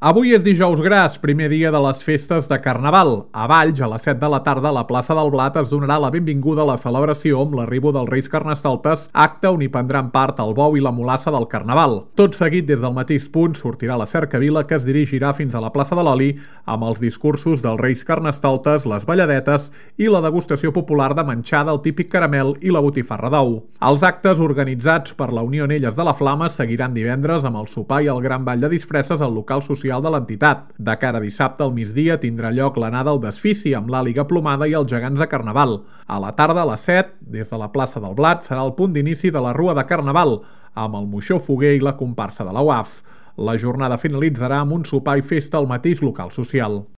Avui és dijous gras, primer dia de les festes de Carnaval. A Valls, a les 7 de la tarda, a la plaça del Blat es donarà la benvinguda a la celebració amb l'arribo dels Reis Carnestoltes, acte on hi prendran part el bou i la mulassa del Carnaval. Tot seguit, des del mateix punt, sortirà la cercavila que es dirigirà fins a la plaça de l'Oli amb els discursos dels Reis Carnestoltes, les balladetes i la degustació popular de menjar del típic caramel i la botifarra d'ou. Els actes organitzats per la Unió Anelles de la Flama seguiran divendres amb el sopar i el gran ball de disfresses al local social de l'entitat. De cara a dissabte al migdia tindrà lloc l'anada al desfici amb l'àliga plomada i els gegants de Carnaval. A la tarda, a les 7, des de la plaça del Blat, serà el punt d'inici de la Rua de Carnaval, amb el moixó foguer i la comparsa de la UAF. La jornada finalitzarà amb un sopar i festa al mateix local social.